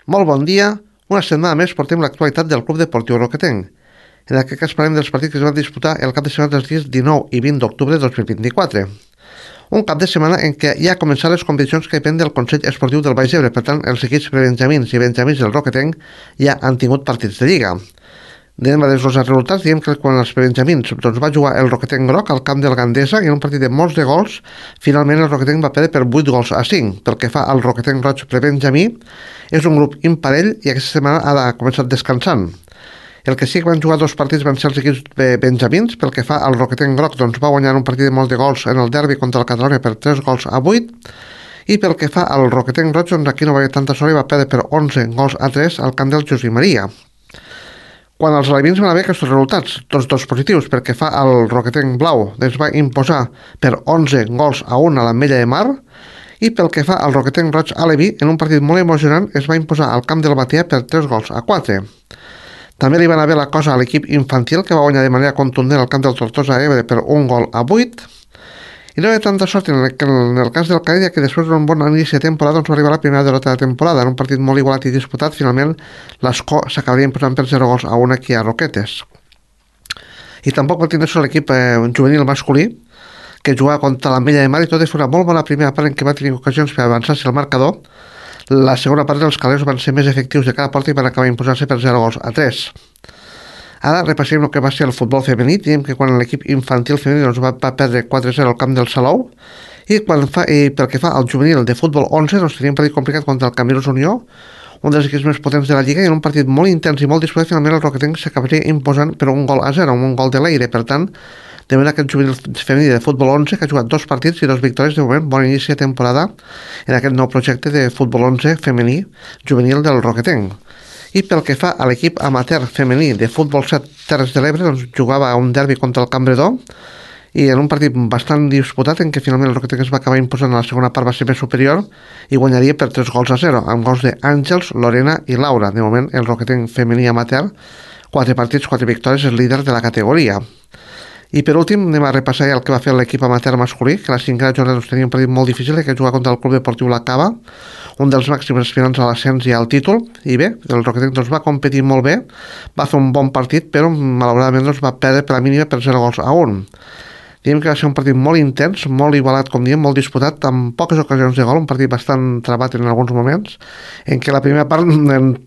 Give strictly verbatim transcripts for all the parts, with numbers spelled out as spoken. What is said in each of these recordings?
Molt bon dia. Una setmana més portem l'actualitat del Club Deportiu Roquetenc. En aquest cas parlem dels partits que es van disputar el cap de setmana dels dies dinou i vint d'octubre de dos mil vint-i-quatre. Un cap de setmana en què ja han començat les competicions que depèn del Consell Esportiu del Baix Ebre. Per tant, els equips prebenjamins i benjamins del Roquetenc ja han tingut partits de Lliga. Anem a desglosar els resultats. Diem que quan els prebenjamins doncs, va jugar el Roquetenc Groc al camp del Gandesa i en un partit de molts de gols, finalment el Roquetenc va perdre per vuit gols a cinc. Pel que fa al Roquetenc Roig prebenjamí, és un grup imparell i aquesta setmana ha començat descansant. El que sí que van jugar dos partits van ser els equips benjamins. Pel que fa al Roquetenc Groc, doncs va guanyar un partit de molt de gols en el derbi contra el Catalunya per tres gols a vuit. I pel que fa al Roquetenc Roig, doncs aquí no va haver tanta sort i va perdre per onze gols a tres al camp del Josep Maria. Quan els alevins van haver aquests resultats, tots dos positius. Pel que fa al Roquetenc Blau, es va imposar per onze gols a un a l'Ametlla de Mar. I pel que fa al Roquetenc Roig Aleví, en un partit molt emocionant, es va imposar al camp del Batea per tres gols a quatre. També li van haver la cosa a l'equip infantil, que va guanyar de manera contundent al camp del Tortosa Ebre per un gol a vuit. I no hi ha tanta sort en el, en el cas del Caïdia, que després d'un bon inici de temporada doncs va arribar a la primera derrota de temporada. En un partit molt igualat i disputat, finalment l'Escó s'acabaria imposant per zero gols a un aquí a Roquetes. I tampoc va tenir sort l'equip eh, juvenil masculí, que jugava contra l'Ametlla de Mar, i tot i fer una molt bona primera part en què va tenir ocasions per avançar-se el marcador. La segona part dels calés van ser més efectius de cada porta i van acabar imposant-se per zero gols a tres. Ara repassem el que va ser el futbol femení. Diem que quan l'equip infantil femení doncs, va, va perdre quatre a zero al camp del Salou, i, quan fa, i pel que fa al juvenil de futbol onze, doncs, tenia un partit complicat contra el Camirós Unió, un dels equips més potents de la Lliga, i en un partit molt intens i molt disputat, finalment el Roquetenc s'acabaria imposant per un gol a zero, un gol de l'aire. Per tant, de manera que el juvenil femení de futbol onze, que ha jugat dos partits i dos victòries, de moment, bon inici de temporada en aquest nou projecte de futbol onze femení juvenil del Roquetenc. I pel que fa a l'equip amateur femení de futbol set Terres de l'Ebre, doncs jugava a un derbi contra el Cambredó, i en un partit bastant disputat en què finalment el Roquetenc es va acabar imposant, a la segona part va ser més superior i guanyaria per tres gols a zero, amb gols d'Àngels, Lorena i Laura. De moment el Roquetenc femení amateur, quatre partits, quatre victòries, és líder de la categoria. I per últim anem a repassar el que va fer l'equip amateur masculí, que la cinquena jornada doncs, tenia un partit molt difícil, que jugava contra el Club Deportiu La Cava, un dels màxims aspirants a l'ascens i al títol. I bé, el Roquetenc doncs, va competir molt bé, va fer un bon partit, però malauradament doncs, va perdre per la mínima per zero gols a un. Diem que va ser un partit molt intens, molt igualat, com diem, molt disputat, amb poques ocasions de gol, un partit bastant trabat en alguns moments, en què la primera part,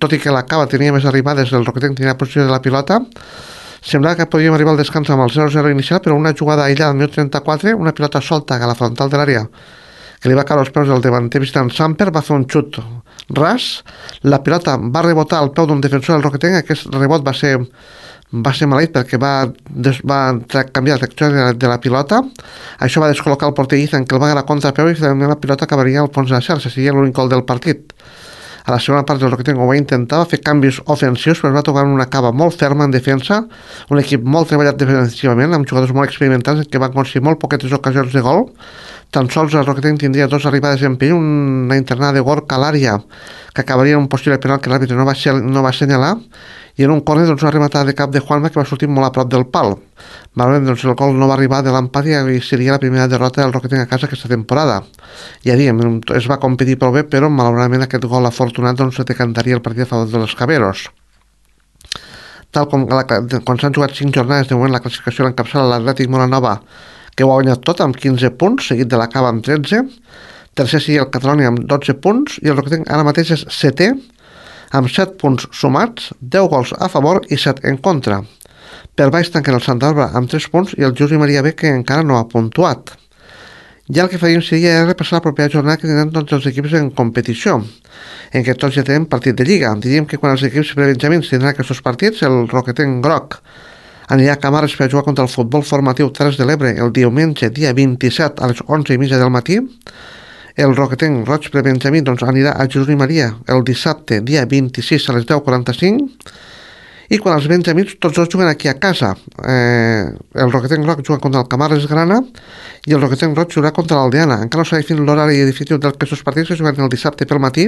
tot i que la Cava tenia més arribades, el Roquetenc tenia posició de la pilota, semblava que podíem arribar al descans amb el zero zero inicial, però una jugada aïllada al minut trenta-quatre, una pilota solta a la frontal de l'àrea, que li va caure als peus del davanter visitant Samper, va fer un xut ras, la pilota va rebotar al peu d'un defensor del Roquetenc. Aquest rebot va ser va ser maleït perquè va, des, va canviar la trajectòria de, de la pilota. Això va descol·locar el porter Ethan, que el va agarrar a contrapeu, i finalment la pilota acabaria al fons de la xarxa. Seria l'únic gol del partit. A la segona part del Roquetenc ho va intentar, va fer canvis ofensius, però es va tocar una Cava molt ferma en defensa, un equip molt treballat defensivament, amb jugadors molt experimentats que van aconseguir molt poquetes ocasions de gol. Tan sols el Roquetenc tindria dos arribades en perill, una internada de Gorka a l'àrea, que acabaria en un possible penal que l'àrbitre no va, no va assenyalar, i en un córner doncs, una rematada de cap de Juanma que va sortir molt a prop del pal. Malament, doncs, el gol no va arribar de l'empat i seria la primera derrota del Roquetenc a casa aquesta temporada. Ja diem, es va competir prou bé, però malauradament aquest gol afortunat doncs, decantaria el partit a favor dels Caberos. Tal com la, quan s'han jugat cinc jornades, de moment la classificació l'encapçala l'Atlètic Molanova, que ho ha guanyat tot amb quinze punts, seguit de la Cava amb tretze. Tercer seria el Catalunya amb dotze punts, i el Roquetenc ara mateix és setè, amb set punts sumats, deu gols a favor i set en contra. Per baix tanquen el Santa Bàrbara amb tres punts i el Josep Maria B, que encara no ha puntuat. Ja el que faríem seria repassar la propera jornada que tindran tots els equips en competició, en què tots ja tenen partit de Lliga. Diríem que quan els equips prebenjamins tindran aquests partits, el Roquetenc Groc anirà a Camarles per jugar contra el futbol formatiu Terres de l'Ebre el diumenge, dia vint-i-set, a les onze i mitja del matí. El Roquetenc Roig prebenjamí doncs, anirà a Jesús i Maria el dissabte, dia vint-i-sis, a les deu quaranta-cinc. I quan els benjamins tots dos juguen aquí a casa, eh, el Roquetenc Roig juga contra el Camarles Grana i el Roquetenc Roig jugarà contra l'Aldeana. Encara no s'ha definit l'horari definitiu d'aquests partits, que juguen el dissabte pel matí,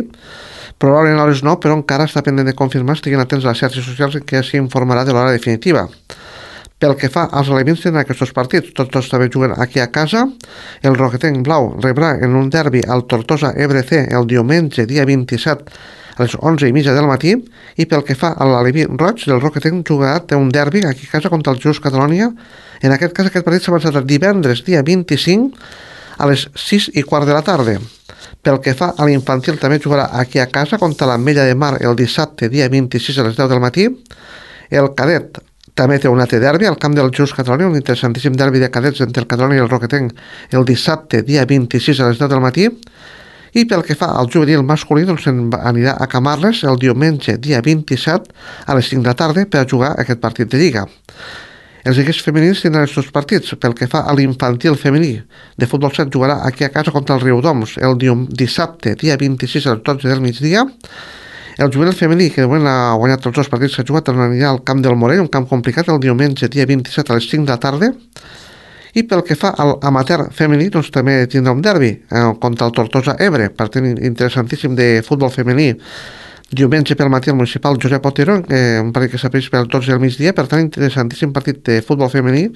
probablement a les nou, però encara està pendent de confirmar. Estiguin atents a les xarxes socials en què s'informarà de l'hora definitiva. Pel que fa als elements tenen aquests partits, tots dos també juguen aquí a casa. El Roquetenc Blau rebrà en un derbi al Tortosa Ebre C el diumenge, dia vint-i-set, a les onze i mitja del matí, i pel que fa a l'Aleví Roig, del Roquetenc jugarà té un derbi aquí a casa contra el Just Catalonia. En aquest cas, aquest partit s'ha avançat el divendres, dia vint-i-cinc, a les sis i quart de la tarda. Pel que fa a l'infantil, també jugarà aquí a casa contra l'Ametlla de Mar el dissabte, dia vint-i-sis, a les deu del matí. El cadet també té un altre derbi al camp del Just Catalonia, un interessantíssim derbi de cadets entre el Catalonia i el Roquetenc el dissabte, dia vint-i-sis, a les deu del matí. I pel que fa al juvenil masculí, doncs anirà a Camarles el diumenge, dia vint-i-set, a les cinc de la tarda, per a jugar aquest partit de Lliga. Els equips femenins tindran els dos partits. Pel que fa a l'infantil femení de futbol set, jugarà aquí a casa contra el Riudoms el dissabte, dia vint-i-sis, a les dotze del migdia. El juvenil femení, que de moment ha guanyat els dos partits que ha jugat, anirà al camp del Morell, un camp complicat, el diumenge, dia vint-i-set, a les cinc de la tarda. I pel que fa al amateur femení, doncs també tindrà un derbi eh, contra el Tortosa Ebre, partit interessantíssim de futbol femení. Diumenge pel matí al municipal Josep Otero, eh, un partit que s'apreix per dotze del migdia, per tant interessantíssim partit de futbol femení,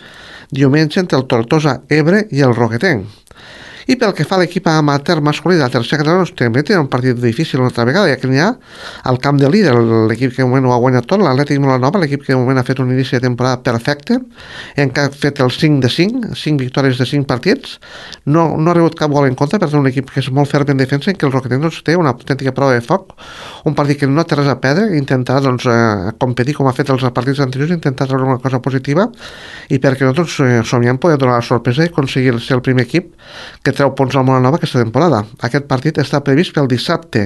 diumenge entre el Tortosa Ebre i el Roquetenc. I pel que fa a l'equip amateur masculí de la tercera catalana, doncs, també té un partit difícil una altra vegada, ja que n'hi ha al camp de líder, l'equip que de moment ho ha guanyat tot, l'Atlètic Molanova, l'equip que de moment ha fet un inici de temporada perfecte, en què ha fet el cinc de cinc, cinc victòries de cinc partits, no, no ha rebut cap gol en contra, per tant un equip que és molt ferm en defensa, en què el Roquetenc doncs, té una autèntica prova de foc, un partit que no té res a perdre, intentarà doncs, eh, competir com ha fet els partits anteriors, intentar treure una cosa positiva, i perquè nosaltres eh, somiem poder donar la sorpresa i aconseguir ser el primer equip que treu punts al Molanova aquesta temporada. Aquest partit està previst pel dissabte,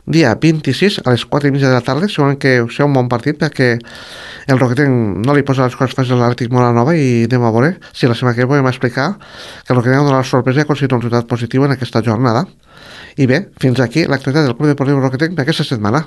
dia vint-i-sis, a les quatre i mitja de la tarda. Segurament que serà un bon partit perquè el Roquetenc no li posa les coses fàcils a l'Atlètic Molanova, i anem a veure si la setmana que ve podem explicar que el Roquetenc ha donat la sorpresa i ha aconseguit un resultat positiu en aquesta jornada. I bé, fins aquí l'activitat del Club Deportiu Roquetenc d'aquesta setmana.